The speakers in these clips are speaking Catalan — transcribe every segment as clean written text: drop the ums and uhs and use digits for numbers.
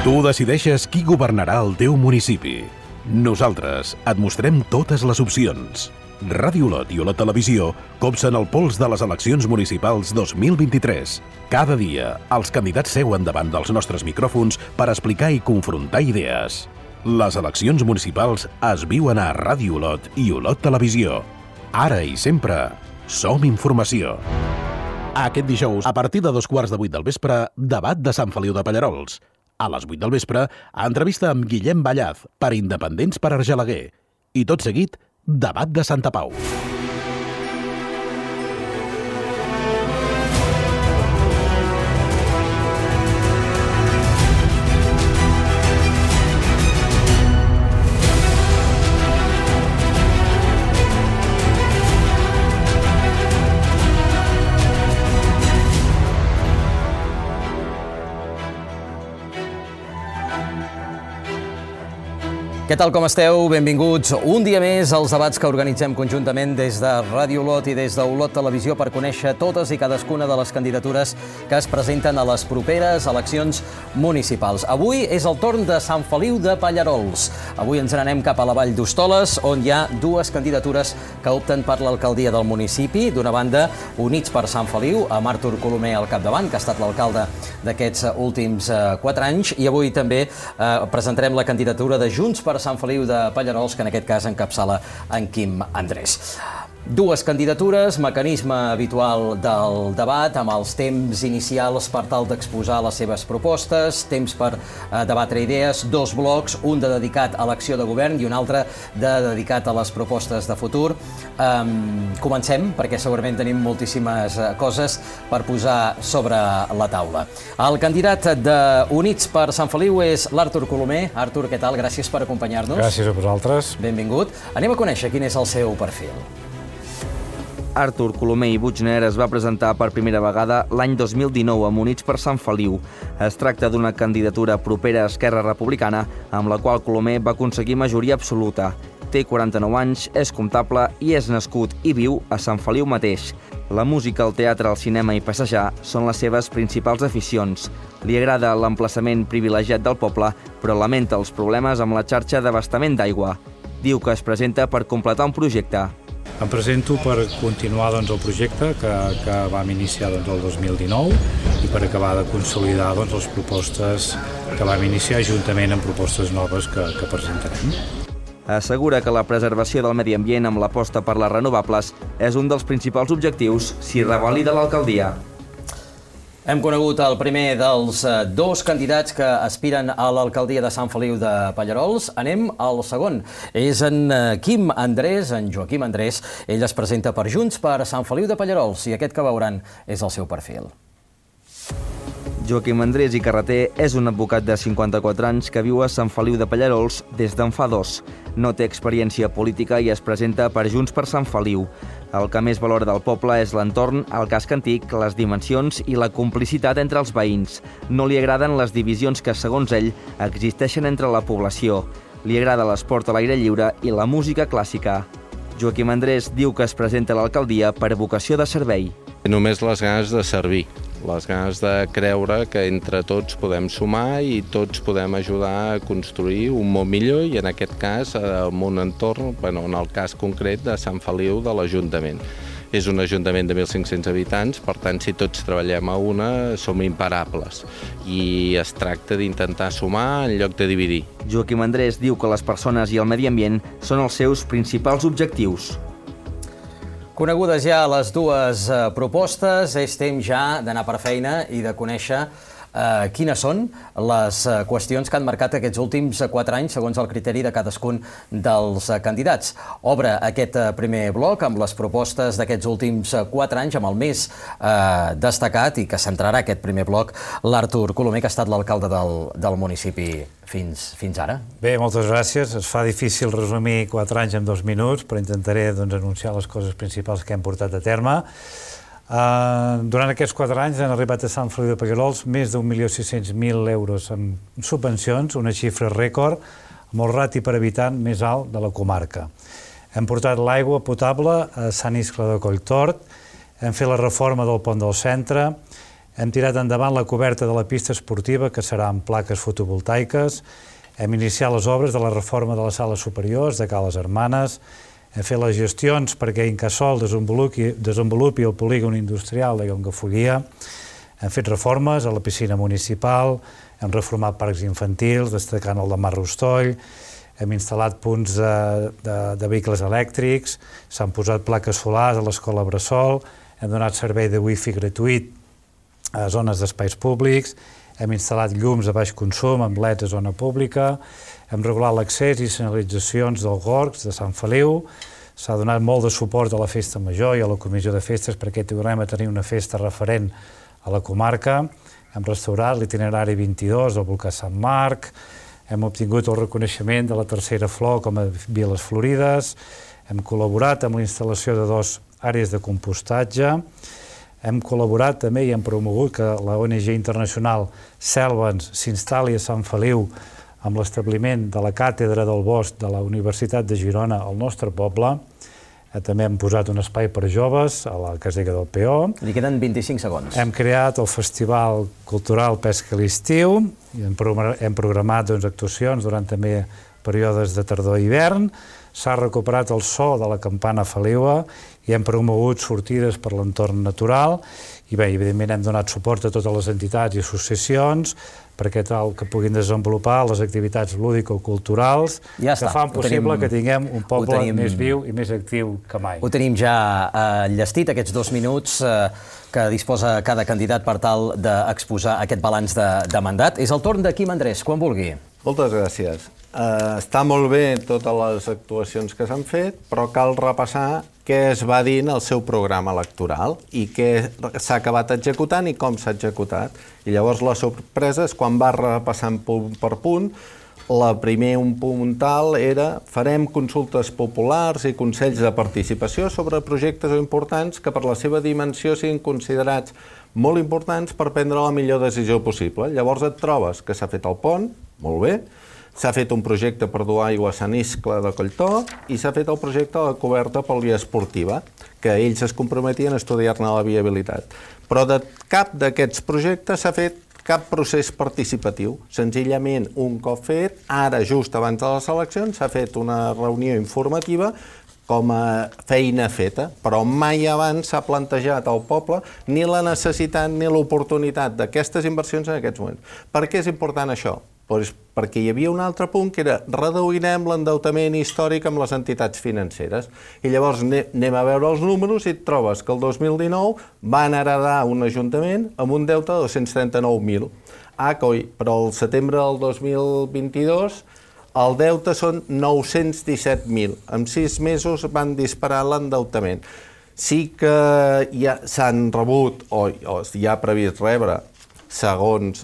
Tu decideixes qui governarà el teu municipi. Nosaltres et mostrem totes les opcions. Ràdio Olot i Olot Televisió copsen el pols de les eleccions municipals 2023. Cada dia, els candidats seuen davant dels nostres micròfons per explicar i confrontar idees. Les eleccions municipals es viuen a Ràdio Olot i Olot Televisió. Ara i sempre, som informació. Aquest dijous, a partir de 7:15 del vespre, debat de Sant Feliu de Pallerols. A les 8 del vespre, entrevista amb Guillem Ballaz per Independents per Argelaguer. I tot seguit, debat de Santa Pau. Què tal, com esteu? Benvinguts un dia més als debats que organitzem conjuntament des de Ràdio Olot i des d'Olot Televisió per conèixer totes i cadascuna de les candidatures que es presenten a les properes eleccions municipals. Avui és el torn de Sant Feliu de Pallerols. Avui ens n'anem cap a la Vall d'Hostoles, on hi ha dues candidatures que opten per l'alcaldia del municipi. D'una banda, Units per Sant Feliu, amb Artur Colomer al capdavant, que ha estat l'alcalde d'aquests últims 4 anys, i avui també presentarem la candidatura de Junts per Sant Feliu de Pallerols, que en aquest cas encapçala en Quim Andrés. Dues candidatures, mecanisme habitual del debat, amb els temps inicials per tal d'exposar les seves propostes, temps per debatre idees, dos blocs, un de dedicat a l'acció de govern i un altre de dedicat a les propostes de futur. Comencem, perquè segurament tenim moltíssimes coses per posar sobre la taula. El candidat d'Units per Sant Feliu és l'Artur Colomer. Artur, què tal? Gràcies per acompanyar-nos. Gràcies a vosaltres. Benvingut. Anem a conèixer quin és el seu perfil. Artur Colomer i Buchner es va presentar per primera vegada l'any 2019 amb Units per Sant Feliu. Es tracta d'una candidatura propera a Esquerra Republicana, amb la qual Colomer va aconseguir majoria absoluta. Té 49 anys, és comptable i és nascut i viu a Sant Feliu mateix. La música, el teatre, el cinema i passejar són les seves principals aficions. Li agrada l'emplaçament privilegiat del poble, però lamenta els problemes amb la xarxa d'abastament d'aigua. Diu que es presenta per completar un projecte. Em presento per continuar el projecte que vam iniciar el 2019 i per acabar de consolidar les propostes que vam iniciar juntament amb propostes noves que presentarem. Assegura que la preservació del medi ambient amb l'aposta per les renovables és un dels principals objectius si revalida l'alcaldia. Hem conegut el primer dels dos candidats que aspiren a l'alcaldia de Sant Feliu de Pallerols. Anem al segon. És en Quim Andrés, en Joaquim Andrés. Ell es presenta per Junts per Sant Feliu de Pallerols i aquest que veuran és el seu perfil. Joaquim Andrés i Carreter és un advocat de 54 anys que viu a Sant Feliu de Pallerols des d'en fa 2. No té experiència política i es presenta per Junts per Sant Feliu. El que més valora del poble és l'entorn, el casc antic, les dimensions i la complicitat entre els veïns. No li agraden les divisions que, segons ell, existeixen entre la població. Li agrada l'esport a l'aire lliure i la música clàssica. Joaquim Andrés diu que es presenta a l'alcaldia per vocació de servei. Només les ganes de servir, les ganes de creure que entre tots podem sumar i tots podem ajudar a construir un món millor i en aquest cas en un entorn, en el cas concret de Sant Feliu de l'Ajuntament. És un ajuntament de 1.500 habitants, per tant, si tots treballem a una, som imparables. I es tracta d'intentar sumar en lloc de dividir. Joaquim Andrés diu que les persones i el medi ambient són els seus principals objectius. Conegudes ja les dues propostes, és temps ja d'anar per feina i de conèixer quines són les qüestions que han marcat aquests últims 4 anys segons el criteri de cadascun dels candidats. Obre aquest primer bloc amb les propostes d'aquests últims 4 anys, amb el més destacat i que centrarà aquest primer bloc l'Artur Colomer, que ha estat l'alcalde del municipi fins ara. Bé, moltes gràcies. Es fa difícil resumir 4 anys en 2 minuts, però intentaré anunciar les coses principals que hem portat a terme. Durant aquests 4 anys han arribat a Sant Feliu de Pallerols més d'1.600.000 euros en subvencions, una xifra rècord, amb el rati per habitant més alt de la comarca. Hem portat l'aigua potable a Sant Iscle de Colltort, hem fet la reforma del pont del centre, Hem tirat endavant la coberta de la pista esportiva, que serà amb plaques fotovoltaiques. Hem iniciat les obres de la reforma de les sales superiors de Cales Hermanes. Hem fet les gestions perquè Incasòl desenvolupi el polígon industrial de Llongafollia. Hem fet reformes a la piscina municipal, hem reformat parcs infantils, destacant el de Mar Rostoll, hem instal·lat punts de vehicles elèctrics, s'han posat plaques solars a l'escola Bressol, hem donat servei de wifi gratuït a zones d'espais públics, hem instal·lat llums de baix consum amb leds a zona pública, hem regulat l'accés i senyalitzacions del Gorgs de Sant Feliu, s'ha donat molt de suport a la Festa Major i a la Comissió de Festes perquè tornem a tenir una festa referent a la comarca, hem restaurat l'itinerari 22 del volcà Sant Marc, hem obtingut el reconeixement de la tercera flor com a Viles Florides, hem col·laborat amb la instal·lació de 2 àrees de compostatge, hem col·laborat també i hem promogut que la ONG internacional Selvens s'instal·li a Sant Feliu amb l'establiment de la Càtedra del Bosc de la Universitat de Girona al nostre poble. També hem posat un espai per joves a la casella del Peó. Li queden 25 segons. Hem creat el Festival Cultural Pesca a l'Estiu i hem programat actuacions durant també períodes de tardor i hivern. S'ha recuperat el so de la campana Feliua i hem promogut sortides per l'entorn natural i bé, evidentment hem donat suport a totes les entitats i associacions perquè tal que puguin desenvolupar les activitats lúdico-culturals que fan possible que tinguem un poble més viu i més actiu que mai. Ho tenim ja enllestit, aquests 2 minuts que disposa cada candidat per tal d'exposar aquest balanç de mandat. És el torn de Quim Andrés, quan vulgui. Moltes gràcies. Està molt bé totes les actuacions que s'han fet, però cal repassar què es va dir en el seu programa electoral i què s'ha acabat executant i com s'ha executat. I llavors la sorpresa és quan va repassant punt per punt. Un puntal era farem consultes populars i consells de participació sobre projectes importants que per la seva dimensió siguin considerats molt importants per prendre la millor decisió possible. Llavors et trobes que s'ha fet el pont, molt bé, s'ha fet un projecte per dur aigua a Sant Iscle de Colltó i s'ha fet el projecte de la coberta poliesportiva, que ells es comprometien a estudiar-ne la viabilitat. Però de cap d'aquests projectes s'ha fet cap procés participatiu. Senzillament, un cop fet, ara just abans de les eleccions, s'ha fet una reunió informativa com a feina feta, però mai abans s'ha plantejat al poble ni la necessitat ni l'oportunitat d'aquestes inversions en aquests moments. Per què és important això? Perquè hi havia un altre punt que era reduirem l'endeutament històric amb les entitats financeres. I llavors anem a veure els números i et trobes que el 2019 van heredar un ajuntament amb un deute de 239.000. Però al setembre del 2022 el deute són 917.000. En 6 mesos van disparar l'endeutament. Sí que ja s'han rebut o hi ha previst rebre segons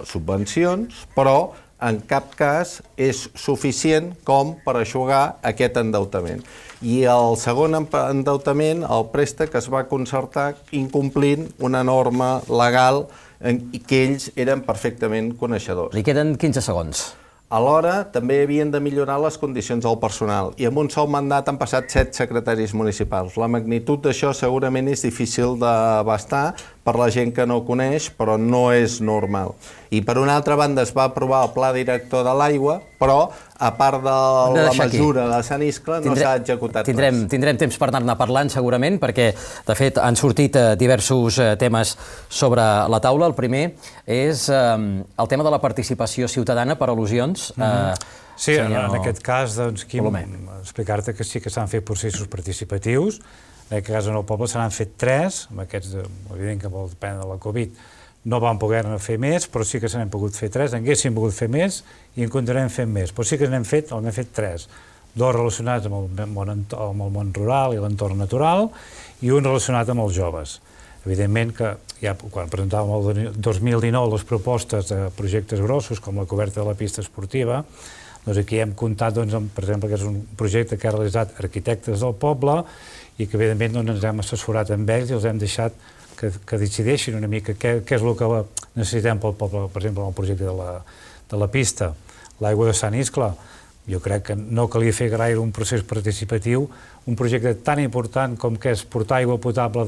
subvencions, però en cap cas és suficient com per eixugar aquest endeutament. I el segon endeutament, el préstec, es va concertar incomplint una norma legal que ells eren perfectament coneixedors. Li queden 15 segons. Alhora, també havien de millorar les condicions del personal i amb un sol mandat han passat 7 secretaris municipals. La magnitud d'això segurament és difícil d'abastar per la gent que no ho coneix, però no és normal. I per una altra banda es va aprovar el pla director de l'aigua, però a part de la mesura de Sant Iscle no s'ha executat res. Tindrem temps per anar-ne parlant segurament, perquè de fet han sortit diversos temes sobre la taula. El primer és el tema de la participació ciutadana per al·lusions. Sí, en aquest cas, Quim, explicar-te que sí que s'han fet processos participatius. En aquest cas, en el poble se n'han fet 3, amb aquests, evident que molt depèn de la Covid, no vam poder-ne fer més, però sí que se n'hem pogut fer 3, haguéssim pogut fer més i en continuarem fent més, però sí que n'hem fet 3, 2 relacionats amb el món rural i l'entorn natural i un relacionat amb els joves. Evidentment que ja quan presentàvem el 2019 les propostes de projectes grossos com la coberta de la pista esportiva, doncs aquí hem comptat, per exemple, que és un projecte que ha realitzat arquitectes del poble i que evidentment ens hem assessorat amb ells i els hem deixat que decideixin una mica què és el que necessitem pel poble, per exemple, en el projecte de la pista. L'aigua de Sant Iscle, jo crec que no calia fer gaire un procés participatiu, un projecte tan important com que és portar aigua potable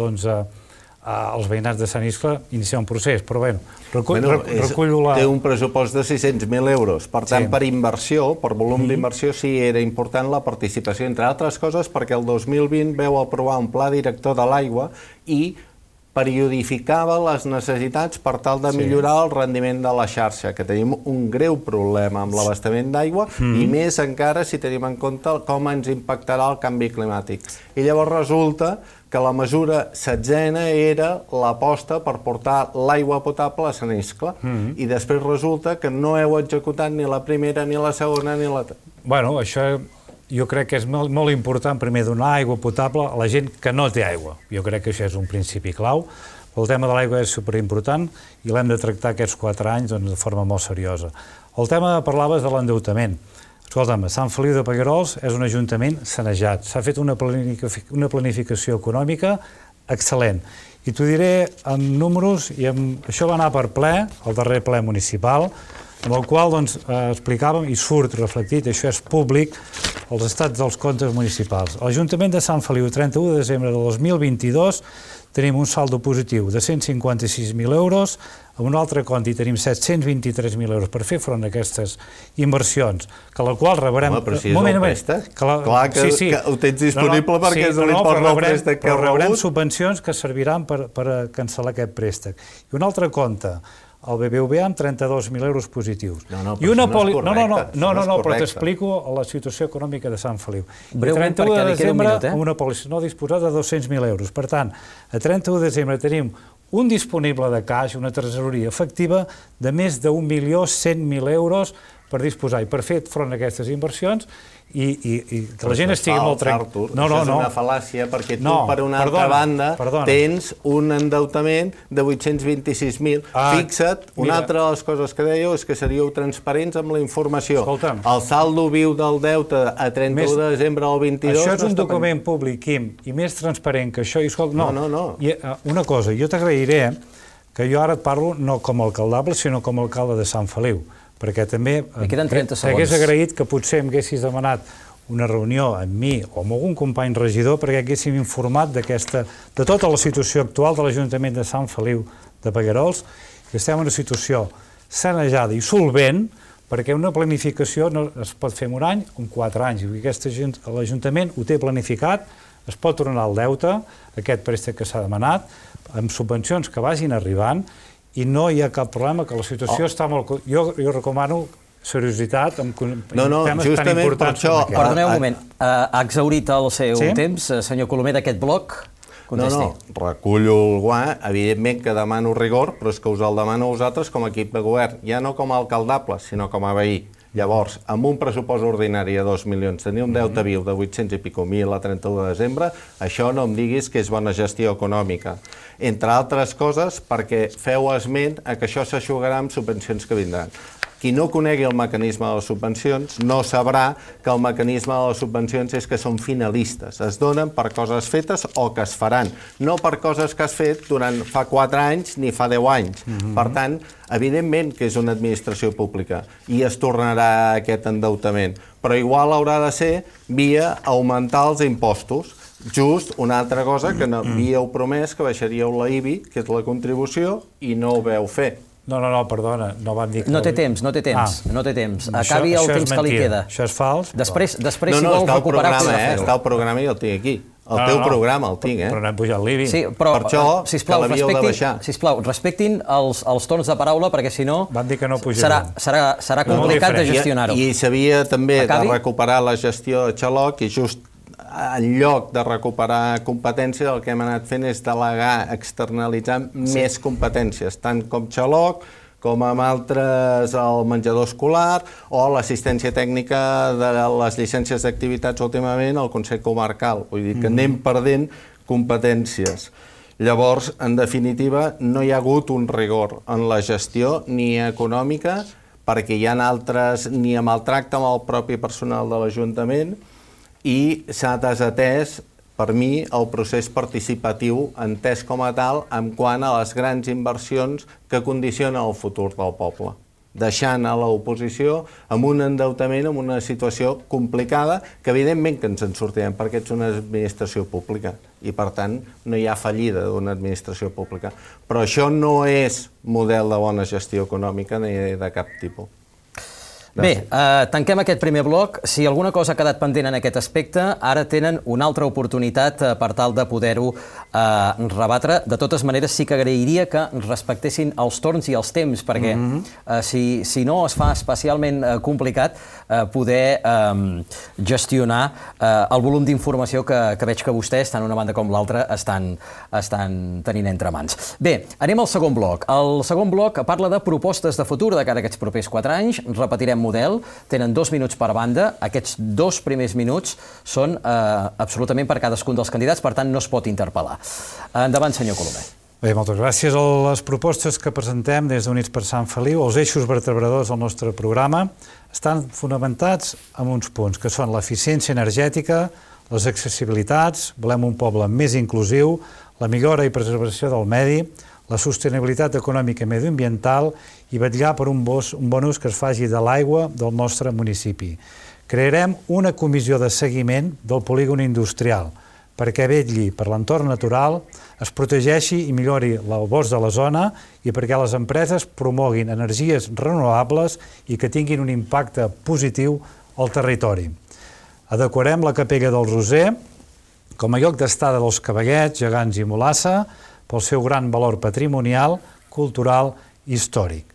els veïnats de Sant Iscle iniciar un procés, però bé, recullo la... Té un pressupost de 600.000 euros, per tant, per inversió, per volum d'inversió, sí era important la participació, entre altres coses, perquè el 2020 veu aprovar un pla director de l'aigua i periodificava les necessitats per tal de millorar el rendiment de la xarxa, que tenim un greu problema amb l'abastament d'aigua i més encara si tenim en compte com ens impactarà el canvi climàtic. I llavors resulta que la mesura 16a era l'aposta per portar l'aigua potable a Sant Iscle i després resulta que no heu executat ni la primera, ni la segona, ni la... Bueno, això jo crec que és molt important primer donar aigua potable a la gent que no té aigua. Jo crec que això és un principi clau. El tema de l'aigua és superimportant i l'hem de tractar aquests 4 anys de forma molt seriosa. El tema que parlaves de l'endeutament. Escolta'm, Sant Feliu de Pallerols és un ajuntament sanejat. S'ha fet una planificació econòmica excel·lent. I t'ho diré en números, i això va anar per ple, el darrer ple municipal, amb el qual explicàvem, i surt reflectit, això és públic, els estats dels comptes municipals. A l'Ajuntament de Sant Feliu, 31 de desembre de 2022, tenim un saldo positiu de 156.000 euros, amb un altre compte hi tenim 723.000 euros per fer front a aquestes inversions, que la qual rebrem... Home, però si és el préstec, clar que ho tens disponible perquè és l'import del préstec que heu rebut. Però rebrem subvencions que serviran per cancel·lar aquest préstec. I un altre compte, el BBVA amb 32.000 euros positius. No, però això no és correcte. No, però t'explico la situació econòmica de Sant Feliu. Breument, perquè li queda un minut, amb una pòlissa no disposada de 200.000 euros. Per tant, a 31 de desembre tenim un disponible de caix, una tresoreria efectiva de més de 1.100.000 euros per disposar i per fer front a aquestes inversions i que la gent estigui molt tranquil·la. Això és una fal·làcia perquè tu, per una altra banda, tens un endeutament de 826.000. Fixa't, una altra de les coses que dèieu és que seríeu transparents amb la informació. El saldo viu del deute a 31 de desembre del 22... Això és un document públic, Quim, i més transparent que això... No. Una cosa, jo t'agrairé que jo ara et parlo no com a alcaldable, sinó com a alcalde de Sant Feliu, perquè també t'hagués agraït que potser em haguessis demanat una reunió amb mi o amb algun company regidor perquè haguéssim informat de tota la situació actual de l'Ajuntament de Sant Feliu de Pallerols, que estem en una situació sanejada i solvent, perquè una planificació no es pot fer en un any o en 4 anys. L'Ajuntament ho té planificat, es pot tornar el deute, aquest préstec que s'ha demanat, amb subvencions que vagin arribant, i no hi ha cap problema, que la situació està molt... Jo recomano seriositat amb temes tan importants com aquest. Perdoneu un moment, ha exhaurit el seu temps, senyor Colomer, d'aquest bloc? No, recullo el guant, evidentment que demano rigor, però és que us el demano a vosaltres com a equip de govern, ja no com a alcaldable, sinó com a veí. Llavors, amb un pressupost ordinari de 2 milions, tenir un deute viu de 800 i pico mil a 31 de desembre, això no em diguis que és bona gestió econòmica. Entre altres coses, perquè feu esment a que això s'aixugarà amb subvencions que vindran. Qui no conegui el mecanisme de les subvencions no sabrà que el mecanisme de les subvencions és que són finalistes. Es donen per coses fetes o que es faran, no per coses que has fet durant fa 4 anys ni fa 10 anys. Per tant, evidentment que és una administració pública i es tornarà aquest endeutament, però igual haurà de ser via augmentar els impostos. Just una altra cosa que havíeu promès que baixaríeu la IBI, que és la contribució, i no ho veu fer. No, perdona, no van dir que... No té temps. Acabi el temps que li queda. Això és fals. Després si vol recuperar... Està el programa i el tinc aquí. El teu programa el tinc, Però no hem pujat l'IBI. Sí, però, per això, que l'havíeu de baixar. Sisplau, respectin els torns de paraula, perquè si no... Van dir que no pujarem. Serà complicat de gestionar-ho. I s'havia també de recuperar la gestió de Xaloc i just en lloc de recuperar competències, el que hem anat fent és delegar, externalitzar més competències, tant com Xaloc, com amb altres el menjador escolar o l'assistència tècnica de les llicències d'activitats últimament al Consell Comarcal. Vull dir que anem perdent competències. Llavors, en definitiva, no hi ha hagut un rigor en la gestió ni econòmica perquè hi ha altres, ni amb el tracte amb el propi personal de l'Ajuntament, i s'ha desatès, per mi, el procés participatiu entès com a tal en quant a les grans inversions que condicionen el futur del poble. deixant a l'oposició amb un endeutament, amb una situació complicada, que evidentment que ens en sortirem, perquè ets una administració pública i, per tant, no hi ha fallida d'una administració pública. Però això no és model de bona gestió econòmica ni de cap tipus. Bé, tanquem aquest primer bloc. Si alguna cosa ha quedat pendent en aquest aspecte, ara tenen una altra oportunitat per tal de poder-ho rebatre. De totes maneres, sí que agrairia que respectessin els torns i els temps, perquè si no es fa especialment complicat poder gestionar el volum d'informació que veig que vostès, tant una banda com l'altra, estan tenint entre mans. Bé, anem al segon bloc. El segon bloc parla de propostes de futur de cara a aquests propers 4 anys. Repetirem model, tenen 2 minuts per banda. Aquests 2 primers minuts són absolutament per cadascun dels candidats, per tant no es pot interpel·lar. Endavant, senyor Colomer. Bé, moltes gràcies. Les propostes que presentem des d'Units per Sant Feliu, els eixos vertebradors del nostre programa, estan fonamentats en uns punts, que són l'eficiència energètica, les accessibilitats, volem un poble més inclusiu, la millora i preservació del medi, la sostenibilitat econòmica i mediambiental i vetllar per un bon ús que es faci de l'aigua del nostre municipi. Crearem una comissió de seguiment del polígon industrial perquè vetlli per l'entorn natural, es protegeixi i millori el bosc de la zona i perquè les empreses promoguin energies renovables i que tinguin un impacte positiu al territori. Adequarem la capella del Roser com a lloc d'estada dels cavallets, gegants i molassa pel seu gran valor patrimonial, cultural i històric.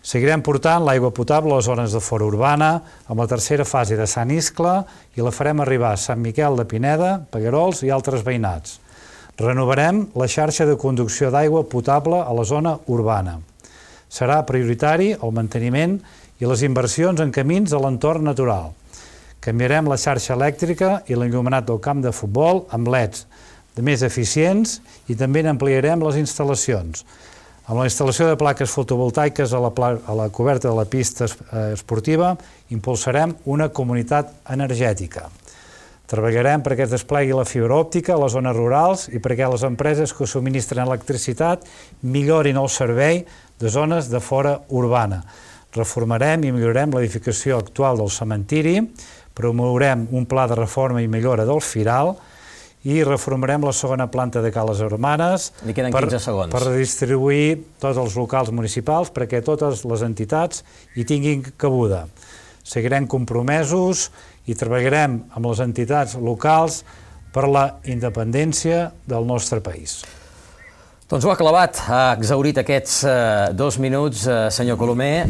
Seguirem portant l'aigua potable a les zones de fora urbana amb la tercera fase de Sant Iscle i la farem arribar a Sant Miquel de Pineda, Paguerols i altres veïnats. Renovarem la xarxa de conducció d'aigua potable a la zona urbana. Serà prioritari el manteniment i les inversions en camins a l'entorn natural. Canviarem la xarxa elèctrica i l'enllumenat del camp de futbol amb LEDs de més eficients i també n'ampliarem les instal·lacions. Amb la instal·lació de plaques fotovoltaiques a la coberta de la pista esportiva impulsarem una comunitat energètica. Treballarem perquè es desplegui la fibra òptica a les zones rurals i perquè les empreses que subministren electricitat millorin el servei de zones de fora urbana. Reformarem i millorarem l'edificació actual del cementiri, promourem un pla de reforma i millora del Firal i reformarem la segona planta de Cales Hermanes per redistribuir tots els locals municipals perquè totes les entitats hi tinguin cabuda. Seguirem compromesos i treballarem amb les entitats locals per la independència del nostre país. Doncs ho ha clavat, ha exhaurit aquests 2 minuts, senyor Colomer.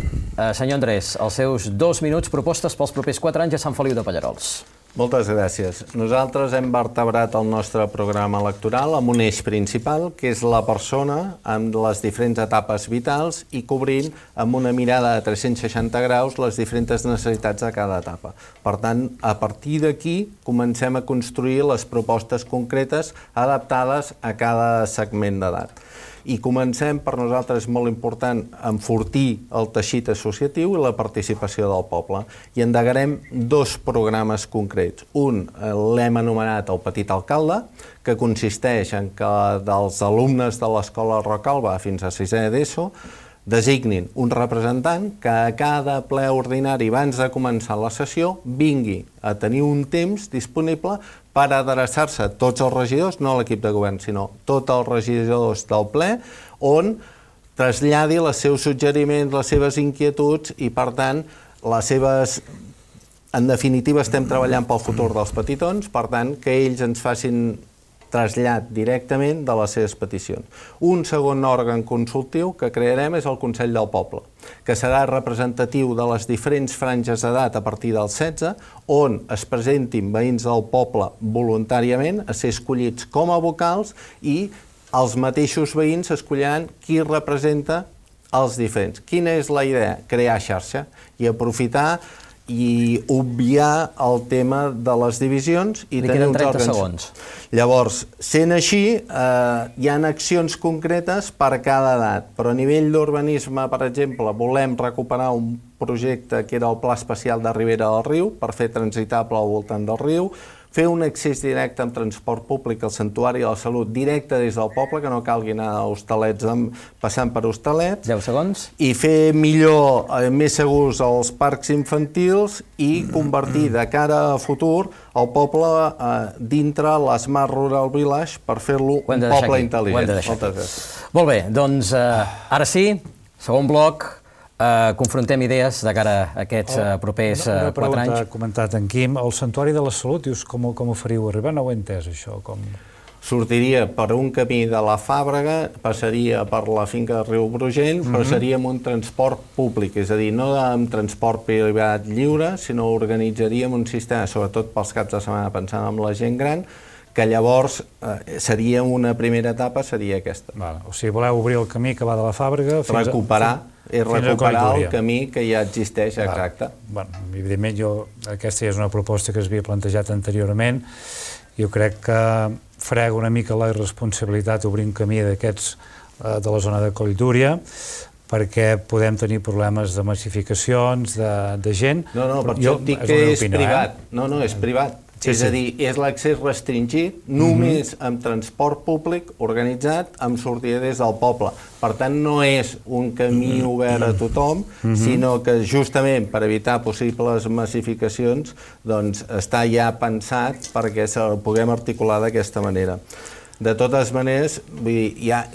Senyor Andrés, els seus 2 minuts, propostes pels propers 4 anys a Sant Feliu de Pallerols. Moltes gràcies. Nosaltres hem vertebrat el nostre programa electoral amb un eix principal, que és la persona amb les diferents etapes vitals i cobrint amb una mirada de 360 graus les diferents necessitats de cada etapa. Per tant, a partir d'aquí comencem a construir les propostes concretes adaptades a cada segment d'edat. I comencem, per nosaltres és molt important, enfortir el teixit associatiu i la participació del poble. I endegarem 2 programes concrets. Un l'hem anomenat el Petit Alcalde, que consisteix en que dels alumnes de l'Escola Rocalba fins a 6è d'ESO designin un representant que a cada ple ordinari abans de començar la sessió vingui a tenir un temps disponible per adreçar-se a tots els regidors, no a l'equip de govern, sinó tots els regidors del ple, on traslladi els seus suggeriments, les seves inquietuds i, per tant, les seves... En definitiva, estem treballant pel futur dels petitons, per tant, que ells ens facin trasllat directament de les seves peticions. Un segon òrgan consultiu que crearem és el Consell del Poble, que serà representatiu de les diferents franges d'edat a partir dels 16, on es presentin veïns del poble voluntàriament a ser escollits com a vocals i els mateixos veïns escolliran qui representa els diferents. Quina és la idea? Crear xarxa i aprofitar i obviar el tema de les divisions i tenir uns òrgans. Llavors, sent així, hi ha accions concretes per cada edat, però a nivell d'urbanisme, per exemple, volem recuperar un projecte que era el Pla Especial de Ribera del Riu per fer transitable al voltant del riu, fer un accés directe amb transport públic al Santuari de la Salut directe des del poble, que no calgui anar a Hostalets passant per Hostalets. 10 segons. I fer millor, més segurs els parcs infantils i convertir de cara a futur el poble dintre l'Smart Rural Village per fer-lo un poble intel·ligent. Moltes gràcies. Molt bé, doncs ara sí, segon bloc, confrontem idees de cara a aquests propers 4 anys. Una pregunta ha comentat en Quim. El Santuari de la Salut, dius, com ho faríeu arribar? No ho he entès, això. Sortiria per un camí de la Fàbrega, passaria per la finca de Riu Brugent, però seria amb un transport públic, és a dir, no amb transport privat lliure, sinó organitzaríem un sistema, sobretot pels caps de setmana, pensant en la gent gran, que llavors seria una primera etapa, seria aquesta. O sigui, voleu obrir el camí que va de la Fàbrega fins recuperar el camí que ja existeix, exacte. Evidentment, aquesta ja és una proposta que es havia plantejat anteriorment. Jo crec que frega una mica la irresponsabilitat obrir un camí d'aquests de la zona de Colldúria, perquè podem tenir problemes de massificacions, de gent. No, per això et dic que és privat. No, és privat. És a dir, és l'accés restringit només amb transport públic organitzat amb sortida des del poble. Per tant, no és un camí obert a tothom, sinó que justament per evitar possibles massificacions doncs està ja pensat perquè se'l puguem articular d'aquesta manera. De totes maneres, vull dir, ja...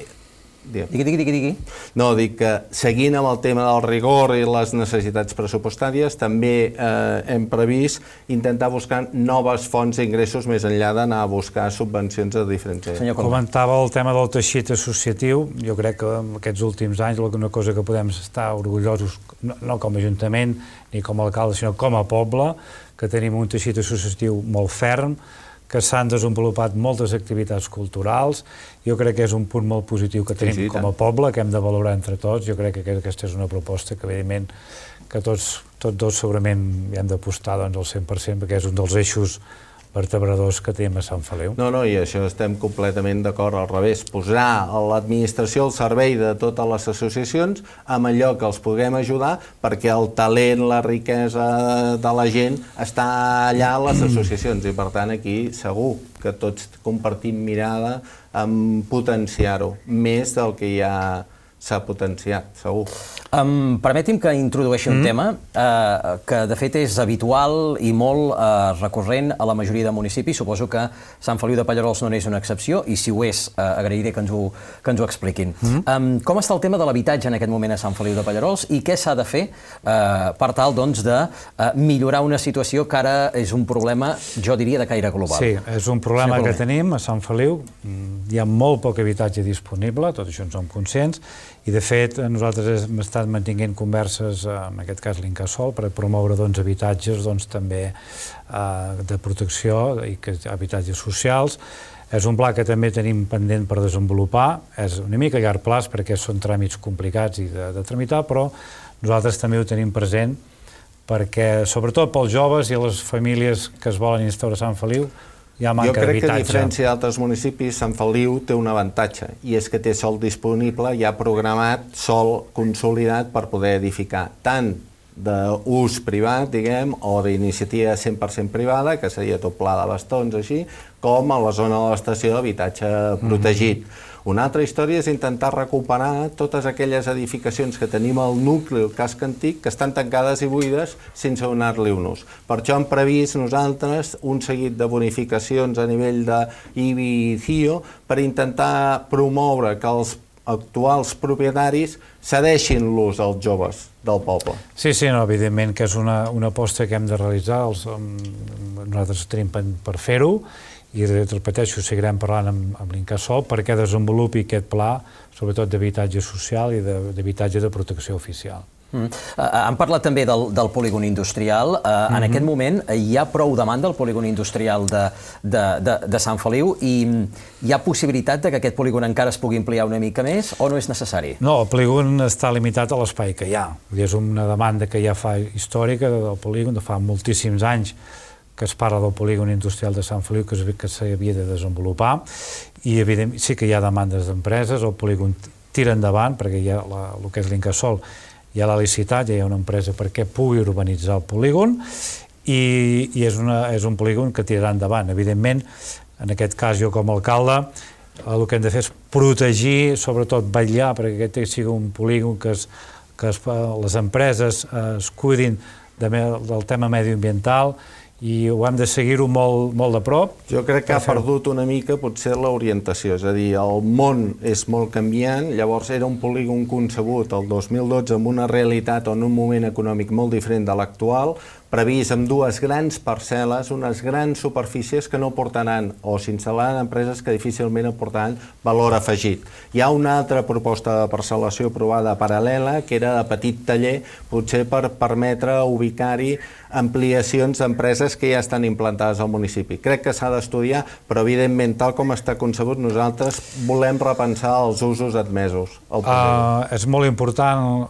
Digui. No, dic que seguint amb el tema del rigor i les necessitats pressupostàries, també hem previst intentar buscar noves fonts d'ingressos més enllà d'anar a buscar subvencions de diferents... Comentava el tema del teixit associatiu. Jo crec que en aquests últims anys una cosa que podem estar orgullosos, no com a Ajuntament ni com a alcalde, sinó com a poble, que tenim un teixit associatiu molt ferm, que s'han desenvolupat moltes activitats culturals. Jo crec que és un punt molt positiu que tenim com a poble, que hem de valorar entre tots. Jo crec que aquesta és una proposta que, evidentment, que tots dos segurament hi hem d'apostar al 100%, perquè és un dels eixos vertebradors que tenim a Sant Feliu. No, i això estem completament d'acord, al revés, posar l'administració al servei de totes les associacions amb allò que els puguem ajudar, perquè el talent, la riquesa de la gent està allà a les associacions, i per tant aquí segur que tots compartim mirada en potenciar-ho, més del que ja s'ha potenciat, segur. Permeti'm que introdueixi un tema que de fet és habitual i molt recurrent a la majoria de municipis. Suposo que Sant Feliu de Pallerols no n'és una excepció, i si ho és, agrairé que ens ho expliquin. Com està el tema de l'habitatge en aquest moment a Sant Feliu de Pallerols i què s'ha de fer per tal de millorar una situació que ara és un problema, jo diria, de caire global? Sí, és un problema que tenim a Sant Feliu. Hi ha molt poc habitatge disponible, tot això en som conscients, i de fet nosaltres hem estat mantenint converses, en aquest cas l'Incasòl, per promoure habitatges també de protecció i habitatges socials. És un pla que també tenim pendent per desenvolupar, és una mica a llarg plaç perquè són tràmits complicats i de tramitar, però nosaltres també ho tenim present perquè, sobretot pels joves i les famílies que es volen instaurar a Sant Feliu, hi ha manca d'habitatge. Jo crec que, a diferència d'altres municipis, Sant Feliu té un avantatge, i és que té sòl disponible, ja programat, sòl consolidat per poder edificar, tant d'ús privat, diguem, o d'iniciativa 100% privada, que seria tot pla de bastons, així, com a la zona de l'estació d'habitatge protegit. Una altra història és intentar recuperar totes aquelles edificacions que tenim al nucli, el casc antic, que estan tancades i buides sense donar-li un ús. Per això hem previst nosaltres un seguit de bonificacions a nivell d'IBI i CIO per intentar promoure que els actuals propietaris cedeixin l'ús als joves del poble. Sí, evidentment que és una aposta que hem de realitzar, nosaltres tenim per fer-ho, i repeteixo, seguirem parlant amb l'Incasòl perquè desenvolupi aquest pla, sobretot d'habitatge social i d'habitatge de protecció oficial. Han parlat també del polígon industrial. En aquest moment hi ha prou demanda al polígon industrial de Sant Feliu i hi ha possibilitat que aquest polígon encara es pugui ampliar una mica més o no és necessari? No, el polígon està limitat a l'espai que hi ha. És una demanda que ja fa històrica del polígon, de fa moltíssims anys que es parla del polígon industrial de Sant Feliu que s'havia de desenvolupar, i evidentment sí que hi ha demandes d'empreses, el polígon tira endavant perquè hi ha el que és l'Incasòl, ja l'ha licitat, ja hi ha una empresa perquè pugui urbanitzar el polígon, i és un polígon que tirarà endavant. Evidentment, en aquest cas jo com a alcalde, el que hem de fer és protegir, sobretot vetllar perquè aquest sigui un polígon que les empreses es cuidin del tema mediambiental, i ho hem de seguir-ho molt de prop. Jo crec que ha perdut una mica potser l'orientació, és a dir, el món és molt canviant, llavors era un polígon concebut el 2012 amb una realitat o en un moment econòmic molt diferent de l'actual, previst amb dues grans parcel·les, unes grans superfícies que no portaran, o s'instal·laran empreses que difícilment aportaran valor afegit. Hi ha una altra proposta de parcel·lació aprovada paral·lela, que era de petit taller, potser per permetre ubicar-hi ampliacions d'empreses que ja estan implantades al municipi. Crec que s'ha d'estudiar, però evidentment, tal com està concebut, nosaltres volem repensar els usos admesos. És molt important,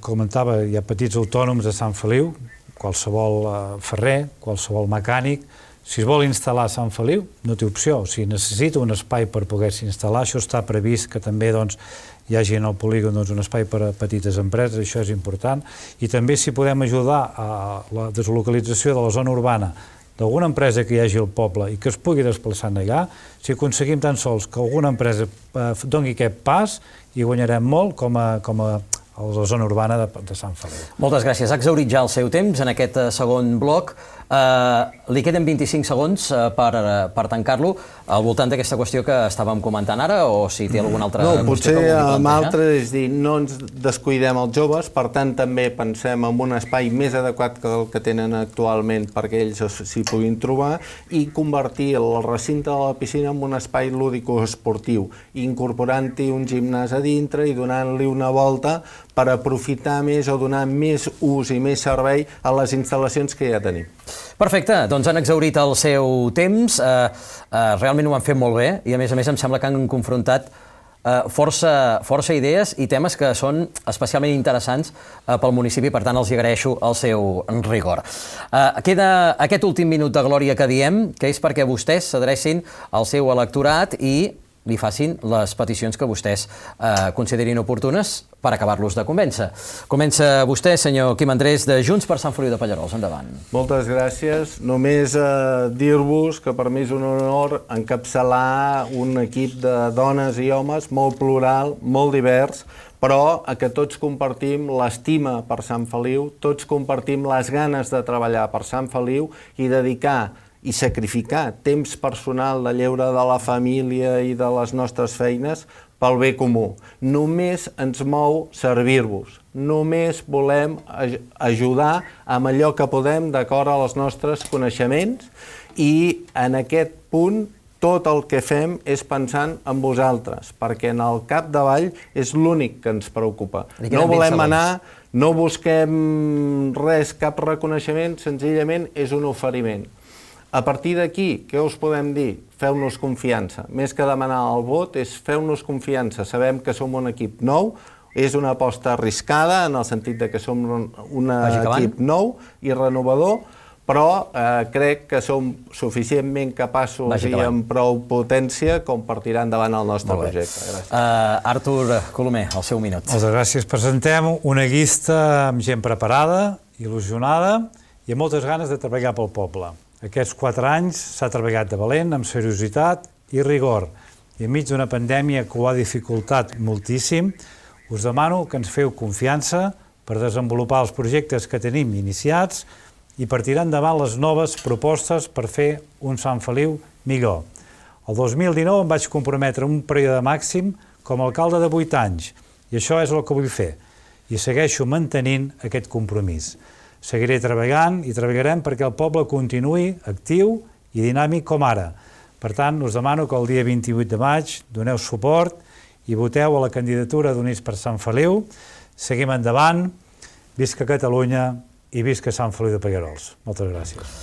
comentava, hi ha petits autònoms a Sant Feliu, qualsevol ferrer, qualsevol mecànic. Si es vol instal·lar a Sant Feliu, no té opció. O sigui, necessita un espai per poder-s'hi instal·lar. Això està previst que també hi hagi en el polígon un espai per a petites empreses, això és important. I també si podem ajudar a la deslocalització de la zona urbana d'alguna empresa que hi hagi al poble i que es pugui desplaçar allà, si aconseguim tan sols que alguna empresa doni aquest pas, hi guanyarem molt com a la zona urbana de Sant Feliu. Moltes gràcies. Ha exhaurit ja el seu temps en aquest segon bloc. Li queden 25 segons per tancar-lo al voltant d'aquesta qüestió que estàvem comentant ara, o si té alguna altra qüestió que vulgui plantejar? Potser amb altres, és dir, no ens descuidem els joves, per tant també pensem en un espai més adequat que el que tenen actualment perquè ells s'hi puguin trobar, i convertir el recinte de la piscina en un espai lúdico-esportiu, incorporant-hi un gimnàs a dintre i donant-li una volta per aprofitar més o donar més ús i més servei a les instal·lacions que ja tenim. Perfecte, doncs han exhaurit el seu temps, realment ho han fet molt bé i a més em sembla que han confrontat força idees i temes que són especialment interessants pel municipi, per tant els agraeixo el seu rigor. Queda aquest últim minut de glòria que diem, que és perquè vostès s'adrecin al seu electorat i li facin les peticions que vostès considerin oportunes per acabar-los de convèncer. Comença vostè, senyor Quim Andrés, de Junts per Sant Feliu de Pallerols. Endavant. Moltes gràcies. Només dir-vos que per mi és un honor encapçalar un equip de dones i homes molt plural, molt divers, però que tots compartim l'estima per Sant Feliu, tots compartim les ganes de treballar per Sant Feliu i dedicar i sacrificar temps personal de lleure de la família i de les nostres feines pel bé comú. Només ens mou servir-vos. Només volem ajudar amb allò que podem d'acord als nostres coneixements i en aquest punt tot el que fem és pensant en vosaltres, perquè en el capdavall és l'únic que ens preocupa. No volem anar, no busquem res, cap reconeixement, senzillament és un oferiment. A partir d'aquí, què us podem dir? Feu-nos confiança. Més que demanar el vot, és feu-nos confiança. Sabem que som un equip nou, és una aposta arriscada, en el sentit que som un equip nou i renovador, però crec que som suficientment capaços i amb prou potència com per tirar endavant el nostre projecte. Gràcies. Artur Colomer, el seu minut. Moltes gràcies. Presentem una llista amb gent preparada, il·lusionada i amb moltes ganes de treballar pel poble. Aquests 4 anys s'ha treballat de valent, amb seriositat i rigor. I enmig d'una pandèmia que ho ha dificultat moltíssim, us demano que ens feu confiança per desenvolupar els projectes que tenim iniciats i per tirar endavant les noves propostes per fer un Sant Feliu millor. El 2019 em vaig comprometre un període màxim com a alcalde de 8 anys i això és el que vull fer. I segueixo mantenint aquest compromís. Seguiré treballant i treballarem perquè el poble continuï actiu i dinàmic com ara. Per tant, us demano que el dia 28 de maig doneu suport i voteu a la candidatura d'Units per Sant Feliu. Seguim endavant, visca Catalunya i visca Sant Feliu de Pallerols. Moltes gràcies.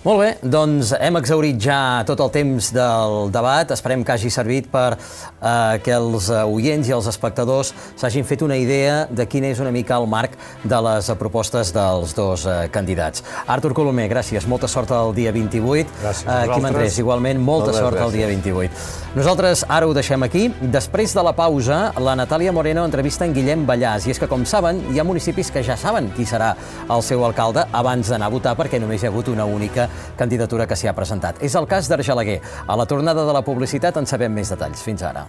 Molt bé, doncs hem exhaurit ja tot el temps del debat. Esperem que hagi servit per que els oients i els espectadors s'hagin fet una idea de quin és una mica el marc de les propostes dels dos candidats. Artur Colomer, gràcies. Molta sort el dia 28. Gràcies a vosaltres. Quim Andrés, igualment, molta sort el dia 28. Nosaltres ara ho deixem aquí. Després de la pausa, la Natàlia Moreno entrevista en Guillem Ballàs. I és que, com saben, hi ha municipis que ja saben qui serà el seu alcalde abans d'anar a votar, perquè només hi ha hagut una única candidatura que s'hi ha presentat. És el cas d'Argelaguer. A la tornada de la publicitat en sabem més detalls. Fins ara.